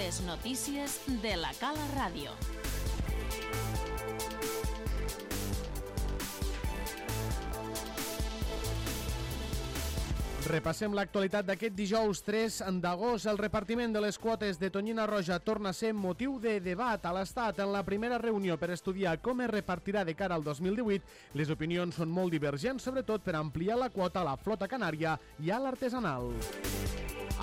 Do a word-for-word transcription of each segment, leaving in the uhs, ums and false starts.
Les notícies de la Cala Ràdio. Repassem l'actualitat d'aquest dijous tres d'agost. El repartiment de les quotes de tonyina roja torna a ser motiu de debat a l'Estat. En la primera reunió per estudiar com es repartirà de cara al dos mil divuit, les opinions són molt divergents, sobretot per ampliar la quota a la flota canària i a l'artesanal.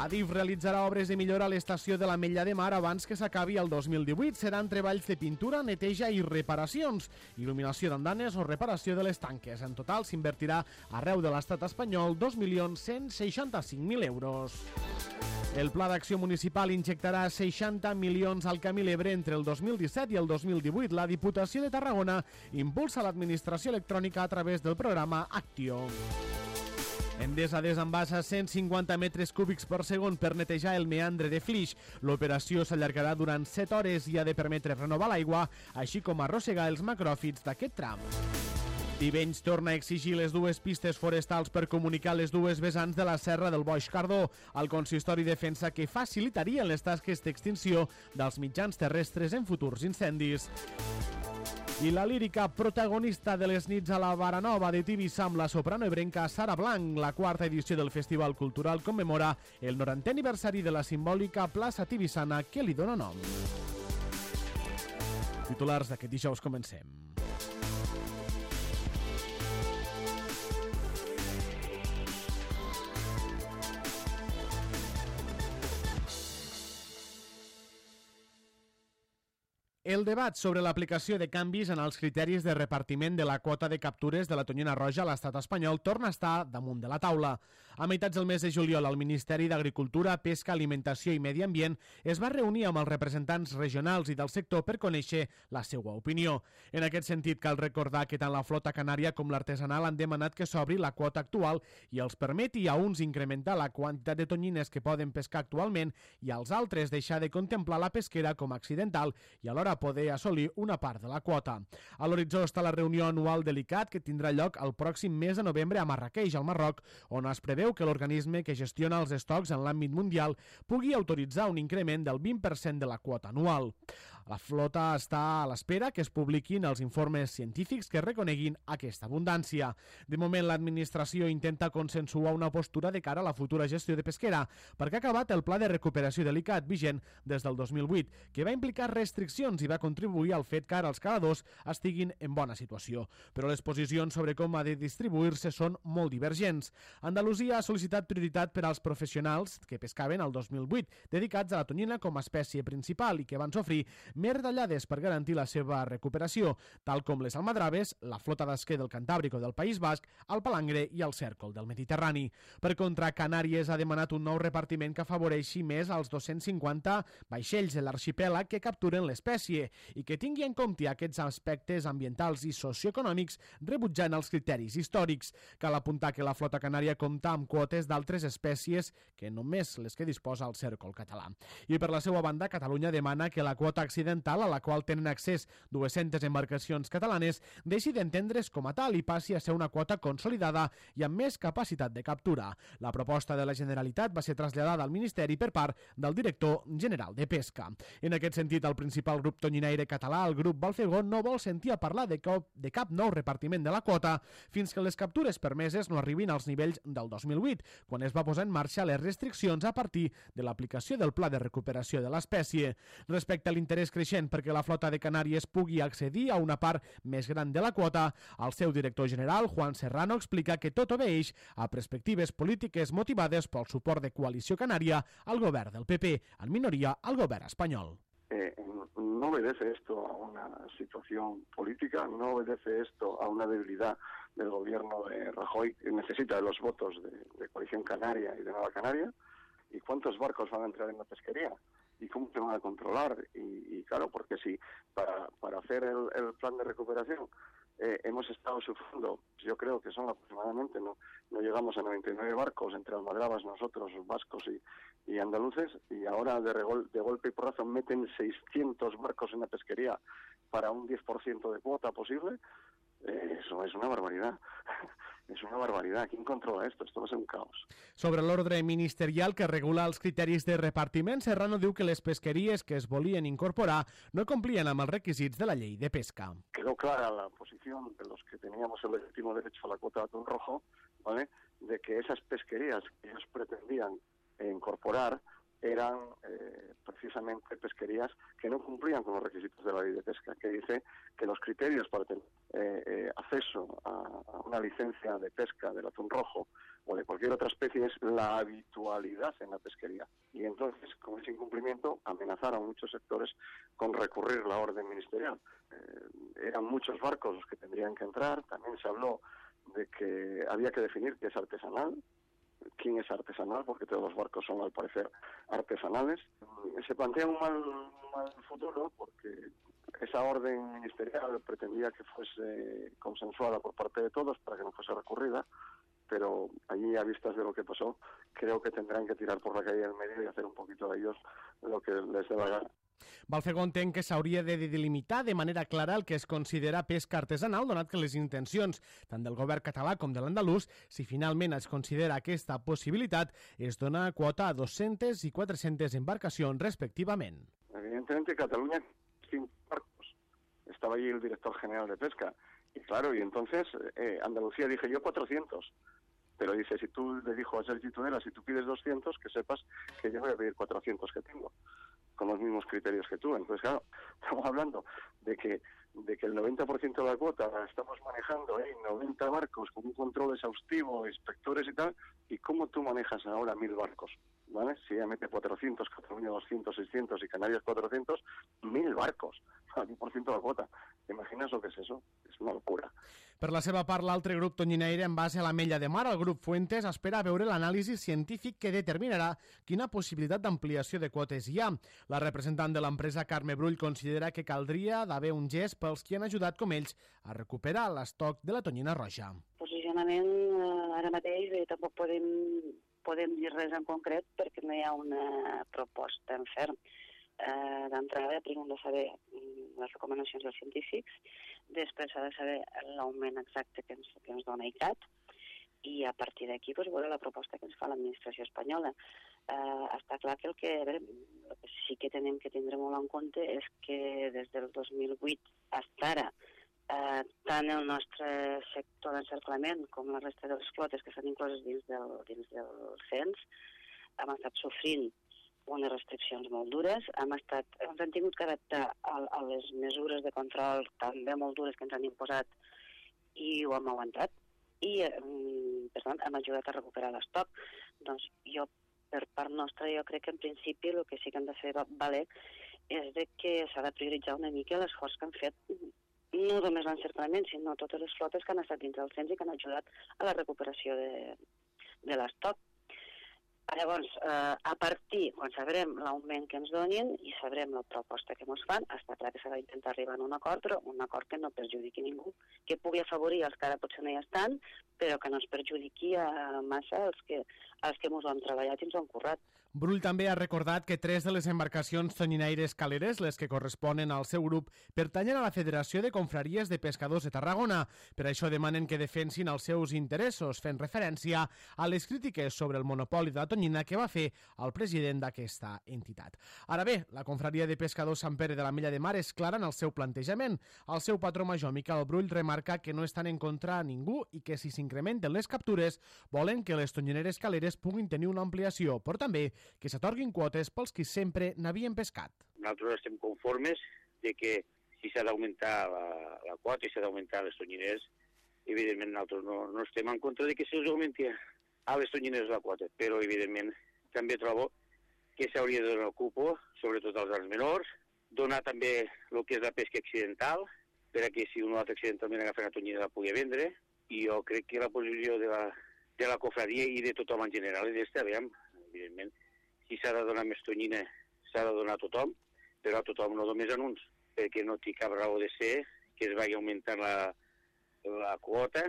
Adif realitzarà obres de millora a l'estació de l'Ametlla de Mar abans que s'acabi el dos mil divuit. Seran treballs de pintura, neteja i reparacions, il·luminació d'andanes o reparació de les tanques. En total s'invertirà arreu de l'estat espanyol dos milions cent seixanta-cinc mil euros. El Pla d'Acció Municipal injectarà seixanta milions al Camí l'Ebre entre el dos mil disset i el dos mil divuit. La Diputació de Tarragona impulsa l'administració electrònica a través del programa Actio. Endesa desembassa cent cinquanta metres cúbics per segon per netejar el meandre de Flix. L'operació s'allargarà durant set hores i ha de permetre renovar l'aigua, així com arrossegar els macròfits d'aquest tram. Tivenys torna a exigir les dues pistes forestals per comunicar les dues vessants de la Serra del Boix Cardó. El consistori defensa que facilitarien les tasques d'extinció dels mitjans terrestres en futurs incendis. I la lírica protagonista de les nits a la Baranova de Tivissa amb la soprano ebrenca Sara Blanc. La quarta edició del Festival Cultural commemora el norantè aniversari de la simbòlica plaça tivissana que li dona nom. Titulars d'aquest dijous, comencem. El debat sobre l'aplicació de canvis en els criteris de repartiment de la quota de captures de la tonyina roja a l'estat espanyol torna a estar damunt de la taula. A meitats del mes de juliol, el Ministeri d'Agricultura, Pesca, Alimentació i Medi Ambient es va reunir amb els representants regionals i del sector per conèixer la seva opinió. En aquest sentit, cal recordar que tant la flota canària com l'artesanal han demanat que s'obri la quota actual i els permeti a uns incrementar la quantitat de tonyines que poden pescar actualment i als altres deixar de contemplar la pesquera com a accidental i alhora poder assolir una part de la quota. A l'horitzó està la reunió anual de l'I C A T que tindrà lloc el pròxim mes de novembre a Marràqueix, al Marroc, on es preveu que l'organisme que gestiona els estocs en l'àmbit mundial pugui autoritzar un increment del vint per cent de la quota anual. La flota està a l'espera que es publiquin els informes científics que reconeguin aquesta abundància. De moment, l'administració intenta consensuar una postura de cara a la futura gestió de pesquera, perquè ha acabat el pla de recuperació de l'I C A T vigent des del dos mil vuit, que va implicar restriccions i va contribuir al fet que ara els caladors estiguin en bona situació. Però les posicions sobre com ha de distribuir-se són molt divergents. Andalusia ha sol·licitat prioritat per als professionals que pescaven el dos mil vuit, dedicats a la tonyina com a espècie principal i que van sofrir més retallades per garantir la seva recuperació, tal com les almadraves, la flota d'esquer del Cantàbric o del País Basc, el palangre i el cèrcol del Mediterrani. Per contra, Canàries ha demanat un nou repartiment que afavoreixi més als dos-cents cinquanta vaixells de l'arxipèlag que capturen l'espècie i que tingui en compte aquests aspectes ambientals i socioeconòmics rebutjant els criteris històrics. Cal apuntar que la flota canària compta amb quotes d'altres espècies que només les que disposa el cèrcol català. I per la seva banda, Catalunya demana que la quota accidental a la qual tenen accés dues-centes embarcacions catalanes deixi d'entendre's com a tal i passi a ser una quota consolidada i amb més capacitat de captura. La proposta de la Generalitat va ser traslladada al Ministeri per part del director general de Pesca. En aquest sentit, el principal grup tonyinaire català, el grup Balfegó, no vol sentir a parlar de cap, de cap nou repartiment de la quota fins que les captures permeses no arribin als nivells del dos mil vuit, quan es va posar en marxa les restriccions a partir de l'aplicació del Pla de Recuperació de l'espècie. Respecte a l'interès creixent perquè la flota de Canàries pugui accedir a una part més gran de la quota, el seu director general, Juan Serrano, explica que tot obeeix a perspectives polítiques motivades pel suport de Coalició Canària al govern del P P, en minoria al govern espanyol. Eh, no obedece esto a una situación política, no obedece esto a una debilidad del gobierno de Rajoy, que necesita de los votos de, de Coalición Canaria y de Nueva Canaria. ¿Y cuántos barcos van a entrar en la pesquería? ¿Y cómo se van a controlar? Y, y claro, porque si para, para hacer el, el plan de recuperación eh, hemos estado sufriendo, yo creo que son aproximadamente, no, no llegamos a noventa y nueve barcos entre almadrabas, nosotros, vascos y, y andaluces, y ahora de, regol, de golpe y porrazo meten seiscientos barcos en la pesquería para un diez por ciento de cuota posible. Eh, eso es una barbaridad. És una barbaritat. Qui controla esto? Esto va ser un caos. Sobre l'ordre ministerial que regula els criteris de repartiment, Serrano diu que les pesqueries que es volien incorporar no complien amb els requisits de la llei de pesca. Quedó clara la posición de los que teníamos el legítimo derecho a la cuota de atún rojo, ¿vale?, de que esas pesquerías que ellos pretendían incorporar eran eh, precisamente pesquerías que no cumplían con los requisitos de la ley de pesca, que dice que los criterios para tener eh, eh, acceso a, a una licencia de pesca del atún rojo o de cualquier otra especie es la habitualidad en la pesquería. Y entonces, con ese incumplimiento, amenazaron muchos sectores con recurrir la orden ministerial. Eh, eran muchos barcos los que tendrían que entrar. También se habló de que había que definir qué es artesanal, quién es artesanal, porque todos los barcos son, al parecer, artesanales. Se plantea un mal, un mal futuro, porque esa orden ministerial pretendía que fuese consensuada por parte de todos para que no fuese recurrida, pero allí, a vistas de lo que pasó, creo que tendrán que tirar por la calle del medio y hacer un poquito de ellos lo que les dé la gana. Balfegó entén que s'hauria de delimitar de manera clara el que es considera pesca artesanal, donat que les intencions tant del govern català com de l'andalús, si finalment es considera aquesta possibilitat, es dona quota a dos-centes i quatre-centes embarcacions respectivament. Evidentemente Cataluña cinco barcos. Estaba allí el director general de pesca. Y claro, y entonces eh, Andalucía dije yo cuatrocientos. Pero dice, si tú le dijo a Sergi Tudela, si tú pides doscientos, que sepas que yo voy a pedir cuatrocientos que tengo, con los mismos criterios que tú. Entonces, claro, estamos hablando de que de que el noventa por ciento de la cuota la estamos manejando en noventa barcos con un control exhaustivo, inspectores y tal, y cómo tú manejas ahora mil barcos, ¿vale? Si ella mete cuatrocientos, Cataluña doscientos, seiscientos y Canarias cuatrocientos, mil barcos, al diez por ciento de la cuota. ¿Te imaginas lo que es eso? És una locura. Per la seva part, l'altre grup tonyinaire, en base a la Mella de Mar, el grup Fuentes, espera veure l'anàlisi científic que determinarà quina possibilitat d'ampliació de quotes hi ha. La representant de l'empresa, Carme Brull, considera que caldria d'haver un gest pels qui han ajudat com ells a recuperar l'estoc de la tonyina roja. Posicionament eh, ara mateix eh, tampoc podem, podem dir res en concret perquè no hi ha una proposta en ferm. Eh, D'entrada, primer hem de saber les recomanacions dels científics, després s'ha de saber l'augment exacte que ens, que ens dona I C A T i a partir d'aquí pues, veure la proposta que ens fa l'administració espanyola. Eh, està clar que el que, a veure, el que sí que tenim que tindre molt en compte és que des del dos mil vuit fins ara, eh, tant el nostre sector d'encerclament com la resta de les flotes que estan incloses dins del, dins del cens hem estat sofrint unes restriccions molt dures, hem estat, ens hem tingut que adaptar a, a les mesures de control també molt dures que ens han imposat i ho hem aguantat i, per tant, hem ajudat a recuperar l'estoc. Doncs jo, per part nostra, jo crec que en principi el que sí que hem de fer valer és de que s'ha de prioritzar una mica l'esforç que han fet no només l'encerclament, sinó totes les flotes que han estat dins del cens i que han ajudat a la recuperació de, de l'estoc. Llavors, eh, a partir, quan sabrem l'augment que ens donin i sabrem la proposta que ens fan, està clar que s'ha d'intentar arribar a un acord, però un acord que no perjudiqui ningú, que pugui afavorir els que ara potser no hi estan, però que no es perjudiqui a massa els que, els que ens ho han treballat i ens ho han currat. Brull també ha recordat que tres de les embarcacions tonyinaires caleres, les que corresponen al seu grup, pertanyen a la Federació de Confraries de Pescadors de Tarragona. Per això demanen que defensin els seus interessos, fent referència a les crítiques sobre el monopoli de la tonyina que va fer el president d'aquesta entitat. Ara bé, la Confraria de Pescadors Sant Pere de la Mella de Mar és clara en el seu plantejament. El seu patró major, Miquel Brull, remarca que no estan en contra a ningú i que si s'incrementen les captures volen que les tonyineres caleres puguin tenir una ampliació, però també que s'atorguin quotes pels qui sempre n'havien pescat. Nosaltres estem conformes de que si s'ha d'augmentar la, la quota i s'ha d'augmentar les tonyineres, evidentment nosaltres no, no estem en contra de que se'ls augmenti a les tonyineres la quota, però evidentment també trobo que s'hauria de donar el cupo, sobretot als arts menors, donar també el que és la pesca accidental, per a que si un altre accidentalment agafa una tonyina la pugui vendre, i jo crec que la posició de la, de la cofradia i de tothom en general és d'estar bé, evidentment. Si s'ha de donar més tonyina, s'ha de donar a tothom, però a tothom no només en uns, perquè no té cap raó de ser que es vagi augmentant la, la quota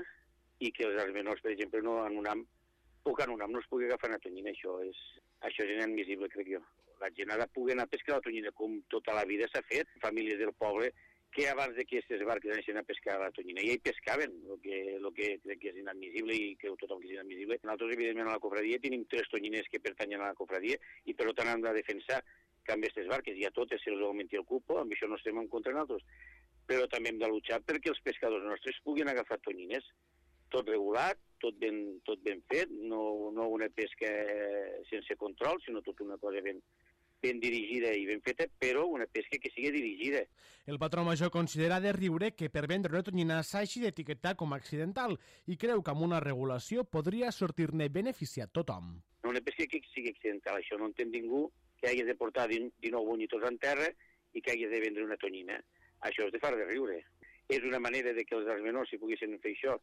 i que els arts menors, per exemple, no en un am, o que en un am no es pugui agafar una tonyina. Això és, això és inadmissible, crec jo. La gent ha de poder anar a pescar la tonyina com tota la vida s'ha fet. Famílies del poble que abans de que aquestes barques anessin a pescar a la tonyina. I hi pescaven, el que, el que crec que és inadmissible i creu tothom que és inadmissible. Nosaltres, evidentment, a la cofradia tenim tres tonyines que pertanyen a la cofradia i per tant hem de defensar que amb aquestes barques i a totes se'ls augmenti el cupo, amb això no estem en contra nosaltres. Però també hem de luchar perquè els pescadors nostres puguin agafar tonyines. Tot regulat, tot ben, tot ben fet, no, no una pesca sense control, sinó tot una cosa ben, ben dirigida i ben feta, però una pesca que sigui dirigida. El patró major considera de riure que per vendre una tonyina s'hagi d'etiquetar com a accidental i creu que amb una regulació podria sortir-ne beneficiat tothom. Una pesca que sigui accidental, això no entén ningú que hagi de portar dinou bonyitors en terra i que hagi de vendre una tonyina. Això és de far de riure. És una manera de que els arts menors, si poguessin fer això,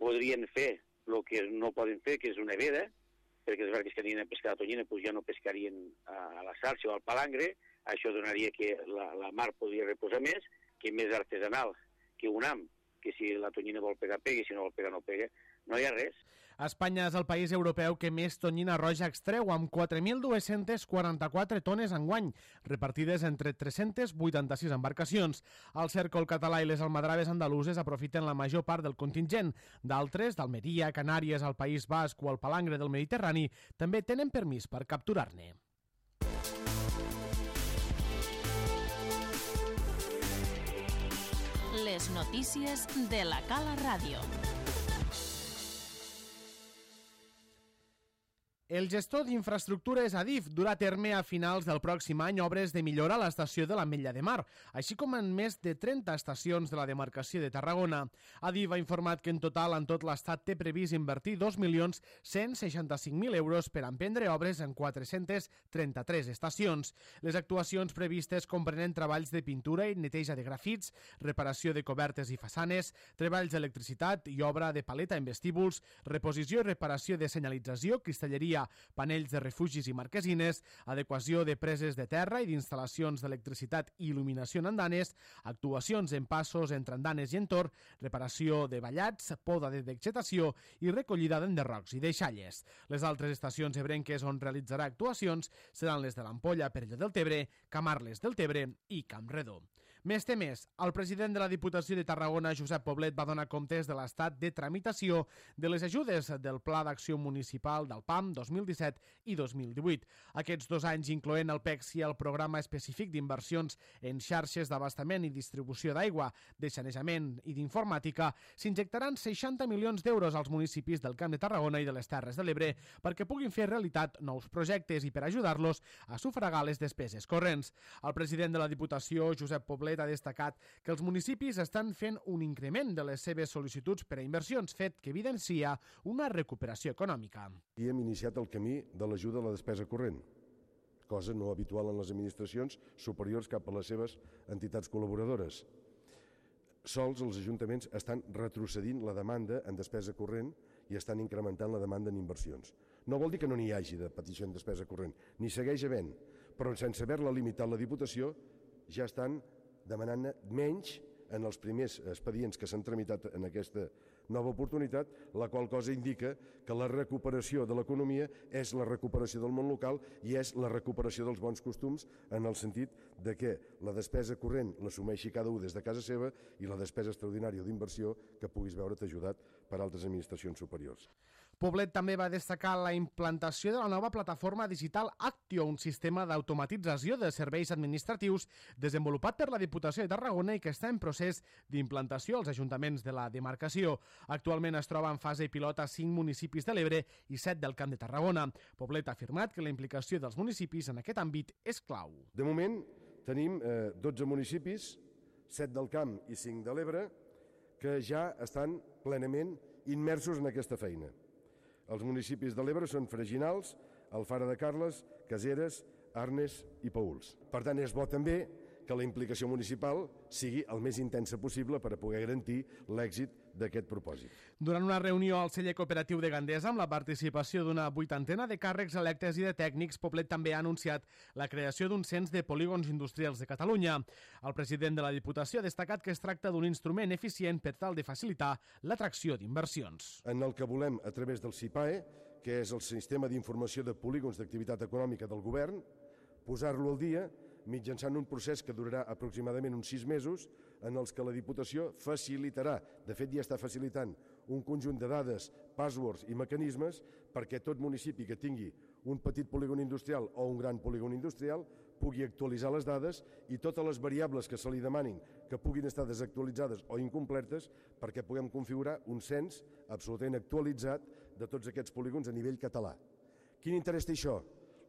podrien fer el que no poden fer, que és una veda, perquè les barques que anirien a pescar la tonyina pues ja no pescarien a la sarxa o al palangre. Això donaria que la, la mar podria reposar més, que més artesanal que un ham, que si la tonyina vol pegar, pega, i si no vol pegar, no pega. No hi ha res. Espanya és el país europeu que més tonyina roja extreu, amb quatre mil dos-centes quaranta-quatre tones enguany, repartides entre tres-centes vuitanta-sis embarcacions. El cèrcol català i les almadraves andaluses aprofiten la major part del contingent. D'altres, d'Almeria, Canàries, el País Basc o el Palangre del Mediterrani, també tenen permís per capturar-ne. Les notícies de la Cala Ràdio. El gestor d'infraestructures Adif durà a terme a finals del pròxim any obres de millora a l'estació de l'Ametlla de Mar, així com en més de trenta estacions de la demarcació de Tarragona. Adif ha informat que en total en tot l'estat té previst invertir dos milions cent seixanta-cinc mil euros per emprendre obres en quatre-centes trenta-tres estacions. Les actuacions previstes comprenen treballs de pintura i neteja de grafits, reparació de cobertes i façanes, treballs d'electricitat i obra de paleta en vestíbuls, reposició i reparació de senyalització, cristalleria, panells de refugis i marquesines, adequació de preses de terra i d'instal·lacions d'electricitat i il·luminació en andanes, actuacions en passos entre andanes i entorn, reparació de vallats, poda de vegetació i recollida d'enderrocs i deixalles. Les altres estacions ebrenques on realitzarà actuacions seran les de l'Ampolla, Perelló del Tebre, Camarles del Tebre i Campredó. Més temes, el president de la Diputació de Tarragona, Josep Poblet, va donar comptes de l'estat de tramitació de les ajudes del Pla d'Acció Municipal del P A M dos mil disset i dos mil divuit. Aquests dos anys, incloent el P E X i el Programa Específic d'Inversions en Xarxes d'Abastament i Distribució d'Aigua, de Sanejament i d'Informàtica, s'injectaran seixanta milions d'euros als municipis del Camp de Tarragona i de les Terres de l'Ebre perquè puguin fer realitat nous projectes i per ajudar-los a sufragar les despeses corrents. El president de la Diputació, Josep Poblet, ha destacat que els municipis estan fent un increment de les seves sol·licituds per a inversions, fet que evidencia una recuperació econòmica. I hem iniciat el camí de l'ajuda a la despesa corrent, cosa no habitual en les administracions superiors cap a les seves entitats col·laboradores. Sols els ajuntaments estan retrocedint la demanda en despesa corrent i estan incrementant la demanda en inversions. No vol dir que no n'hi hagi de petició en despesa corrent, ni segueix havent, però sense haver-la limitat la Diputació ja estan demanant menys en els primers expedients que s'han tramitat en aquesta nova oportunitat, la qual cosa indica que la recuperació de l'economia és la recuperació del món local i és la recuperació dels bons costums en el sentit de que la despesa corrent l'assumeixi cada un des de casa seva i la despesa extraordinària d'inversió que puguis veure't ajudat per altres administracions superiors. Poblet també va destacar la implantació de la nova plataforma digital Actio, un sistema d'automatització de serveis administratius desenvolupat per la Diputació de Tarragona i que està en procés d'implantació als ajuntaments de la demarcació. Actualment es troba en fase pilot a cinc municipis de l'Ebre i set del Camp de Tarragona. Poblet ha afirmat que la implicació dels municipis en aquest àmbit és clau. De moment tenim eh, dotze municipis, set del Camp i cinc de l'Ebre, que ja estan plenament immersos en aquesta feina. Els municipis de l'Ebre són Freginals, Alfara de Carles, Caseres, Arnes i Paüls. Per tant, és bo també que la implicació municipal sigui el més intensa possible per a poder garantir l'èxit d'aquest propòsit. Durant una reunió al celler cooperatiu de Gandesa amb la participació d'una vuitantena de càrrecs electes i de tècnics, Poblet també ha anunciat la creació d'un cens de polígons industrials de Catalunya. El president de la Diputació ha destacat que es tracta d'un instrument eficient per tal de facilitar l'atracció d'inversions. En el que volem, a través del SIPAE, que és el Sistema d'Informació de Polígons d'Activitat Econòmica del Govern, posar-lo al dia mitjançant un procés que durarà aproximadament uns sis mesos, en els que la Diputació facilitarà, de fet ja està facilitant, un conjunt de dades, passwords i mecanismes perquè tot municipi que tingui un petit polígon industrial o un gran polígon industrial pugui actualitzar les dades i totes les variables que se li demanin que puguin estar desactualitzades o incompletes perquè puguem configurar un cens absolutament actualitzat de tots aquests polígons a nivell català. Quin interès té això?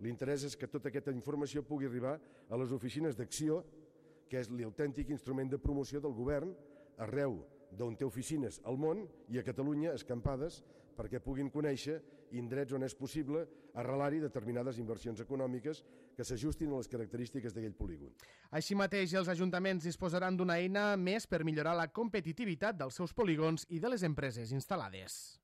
L'interès és que tota aquesta informació pugui arribar a les oficines d'acció, que és l'autèntic instrument de promoció del govern arreu d'on té oficines al món i a Catalunya escampades perquè puguin conèixer indrets on és possible arrelar-hi determinades inversions econòmiques que s'ajustin a les característiques d'aquell polígon. Així mateix, els ajuntaments disposaran d'una eina més per millorar la competitivitat dels seus polígons i de les empreses instal·lades.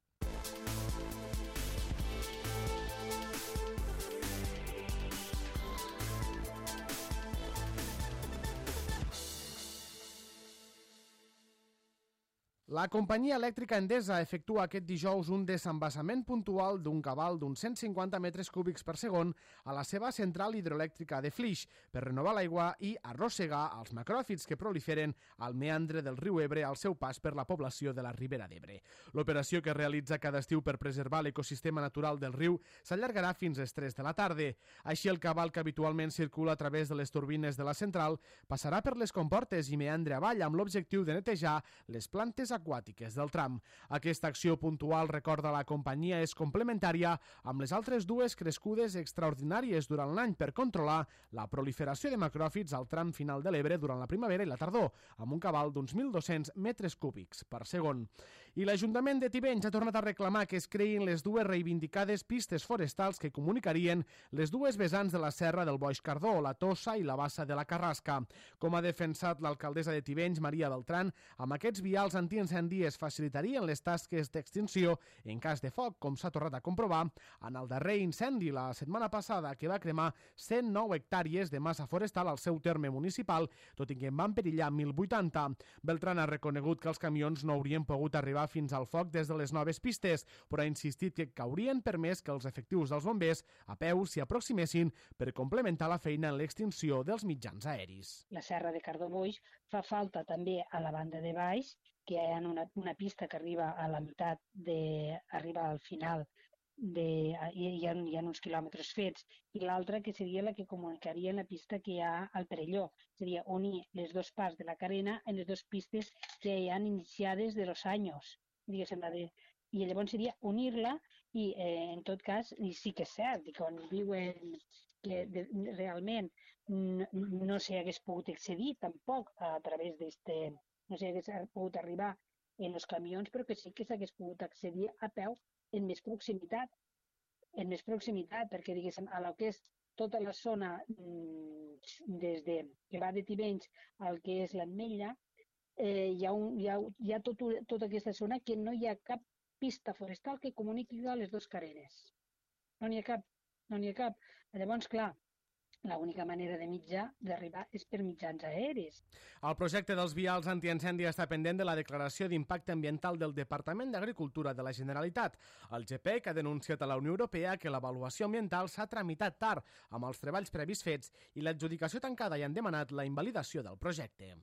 La companyia elèctrica Endesa efectua aquest dijous un desembassament puntual d'un cabal d'uns cent cinquanta metres cúbics per segon a la seva central hidroelèctrica de Flix per renovar l'aigua i arrossegar els macròfits que proliferen al meandre del riu Ebre al seu pas per la població de la Ribera d'Ebre. L'operació que es realitza cada estiu per preservar l'ecosistema natural del riu s'allargarà fins a les tres de la tarda. Així, el cabal que habitualment circula a través de les turbines de la central passarà per les comportes i meandre avall amb l'objectiu de netejar les plantes aquàtiques del tram. Aquesta acció puntual, recorda la companyia, és complementària amb les altres dues crescudes extraordinàries durant l'any per controlar la proliferació de macròfits al tram final de l'Ebre durant la primavera i la tardor, amb un cabal d'uns mil dos-cents metres cúbics per segon. I l'Ajuntament de Tivenys ha tornat a reclamar que es creïn les dues reivindicades pistes forestals que comunicarien les dues vessants de la serra del Boix Cardó, la Tossa i la Bassa de la Carrasca. Com ha defensat l'alcaldessa de Tivenys, Maria Beltrán, amb aquests vials antiincendis facilitarien les tasques d'extinció en cas de foc, com s'ha tornat a comprovar en el darrer incendi la setmana passada que va cremar cent nou hectàrees de massa forestal al seu terme municipal, tot i que en van perillar mil vuitanta. Beltrán ha reconegut que els camions no haurien pogut arribar fins al foc des de les noves pistes, però ha insistit que haurien permès que els efectius dels bombers a peu s'hi aproximessin per complementar la feina en l'extinció dels mitjans aeris. La serra de Cardó-Boix fa falta també a la banda de baix, que hi ha una, una pista que arriba a la meitat, de, arriba al final, de, hi, hi, ha, hi ha uns quilòmetres fets, i l'altra que seria la que comunicaria la pista que hi ha al Perelló. Seria unir les dues parts de la carena en les dues pistes que hi han iniciades de los anys, diguéssim, la de... I llavors seria unir-la i, eh, en tot cas, i sí que és cert, i quan diuen que de, realment no, no s'hi hagués pogut accedir tampoc a través d'este... no s'hi hagués pogut arribar en els camions, però que sí que s'hagués pogut accedir a peu en més proximitat, en més proximitat, perquè, diguéssim, a la que és tota la zona des de, que va de Tivenys al que és l'Ametlla, eh, hi ha, un, hi ha, hi ha tot, tota aquesta zona que no hi ha cap pista forestal que comuniqui a les dues carenes. No n'hi ha cap, no n'hi ha cap. Llavors, clar, l'única manera de mitjà d'arribar és per mitjans aeris. El projecte dels vials antiincendi està pendent de la declaració d'impacte ambiental del Departament d'Agricultura de la Generalitat. El G P E C ha denunciat a la Unió Europea que l'avaluació ambiental s'ha tramitat tard amb els treballs previs fets i l'adjudicació tancada i han demanat la invalidació del projecte.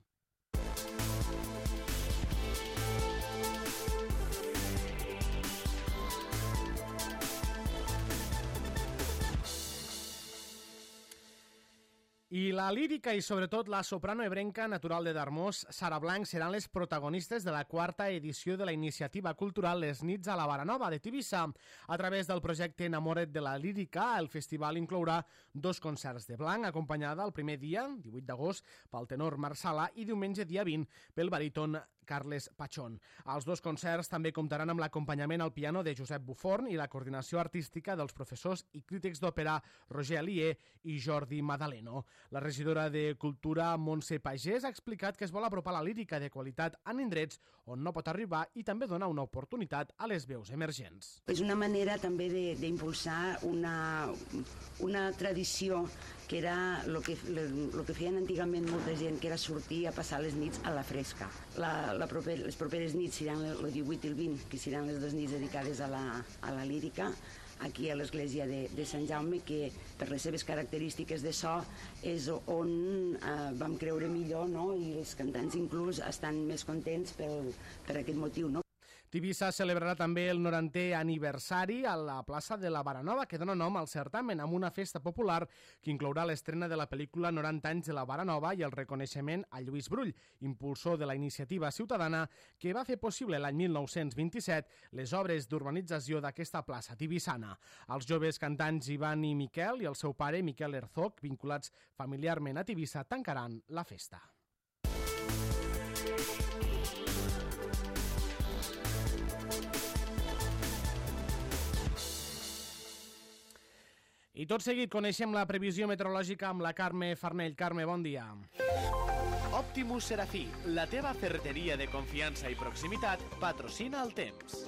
I la lírica i sobretot la soprano ebrenca natural de Darmós, Sara Blanc, seran les protagonistes de la quarta edició de la iniciativa cultural Les Nits a la Baranova de Tivissa. A través del projecte Enamora't de la lírica, el festival inclourà dos concerts de Blanc, acompanyada el primer dia, divuit d'agost, pel tenor Marc Sala i diumenge dia vint pel baríton Carles Pachón. Els dos concerts també comptaran amb l'acompanyament al piano de Josep Buforn i la coordinació artística dels professors i crítics d'òpera Roger Alier i Jordi Madaleno. La regidora de Cultura, Montse Pagès, ha explicat que es vol apropar la lírica de qualitat en indrets on no pot arribar i també donar una oportunitat a les veus emergents. És una manera també d'impulsar una, una tradició que era el que, lo que feien antigament molta gent, que era sortir a passar les nits a la fresca. La, la proper, les properes nits seran el divuit i el vint, que seran les dues nits dedicades a la, a la lírica. aquí a l'església de, de Sant Jaume, que per les seves característiques de so és on eh, vam creure millor, no? I els cantants inclús estan més contents pel, per aquest motiu, no? Tivissa celebrarà també el norantè aniversari a la plaça de la Baranova, que dona nom al certamen, amb una festa popular que inclourà l'estrena de la pel·lícula noranta anys de la Baranova i el reconeixement a Lluís Brull, impulsor de la iniciativa ciutadana que va fer possible l'any mil nou-cents vint-i-set les obres d'urbanització d'aquesta plaça tivissana. Els joves cantants Ivan i Miquel i el seu pare, Miquel Herzog, vinculats familiarment a Tivissa, tancaran la festa. I tot seguit coneixem la previsió meteorològica amb la Carme Farnell. Carme, bon dia. Optimus Serafí, la teva ferreteria de confiança i proximitat, patrocina el temps.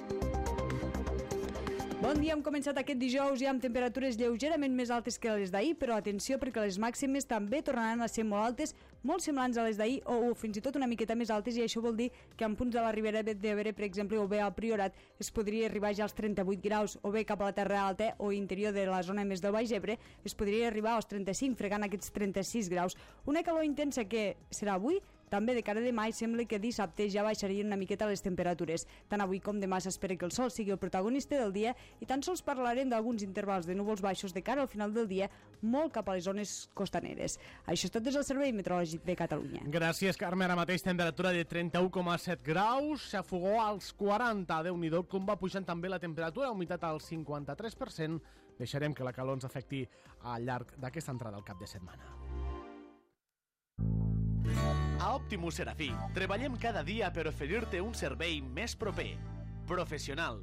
Bon dia, hem començat aquest dijous ja amb temperatures lleugerament més altes que les d'ahir, però atenció perquè les màximes també tornaran a ser molt altes, molt semblants a les d'ahir o, o fins i tot una miqueta més altes, i això vol dir que en punts de la Ribera d'Ebre, per exemple, o bé al Priorat, es podria arribar ja als trenta-vuit graus, o bé cap a la Terra Alta o interior de la zona més del Baix Ebre, es podria arribar als trenta-cinc, fregant aquests trenta-sis graus. Una calor intensa que serà avui, també de cara a demà, i sembla que dissabte ja baixarien una miqueta les temperatures. Tant avui com demà s'espera que el sol sigui el protagonista del dia i tan sols parlarem d'alguns intervals de núvols baixos de cara al final del dia, molt cap a les zones costaneres. Això és tot des del Servei Meteorològic de Catalunya. Gràcies, Carme. Ara mateix temperatura de trenta-u coma set graus, s'afogó als quaranta. Déu-n'hi-do com va pujant també la temperatura, humitat al cinquanta-tres per cent. Deixarem que la calor ens afecti al llarg d'aquesta entrada al cap de setmana. A Optimus Serafí treballem cada dia per oferir-te un servei més proper, professional,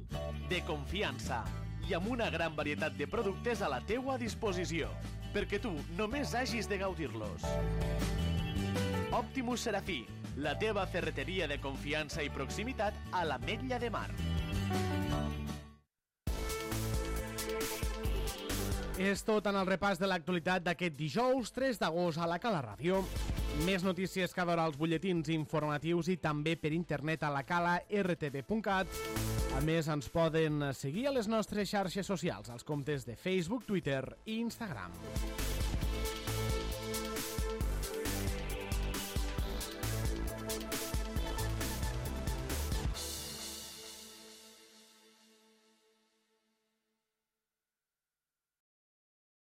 de confiança i amb una gran varietat de productes a la teua disposició, perquè tu només hagis de gaudir-los. Optimus Serafí, la teva ferreteria de confiança i proximitat a l'Ametlla de Mar. És tot en el repàs de l'actualitat d'aquest dijous tres d'agost a la Cala Ràdio. Més notícies cada hora als butlletins informatius i també per internet a la cala r t v punt cat. A més, ens poden seguir a les nostres xarxes socials, als comptes de Facebook, Twitter i Instagram.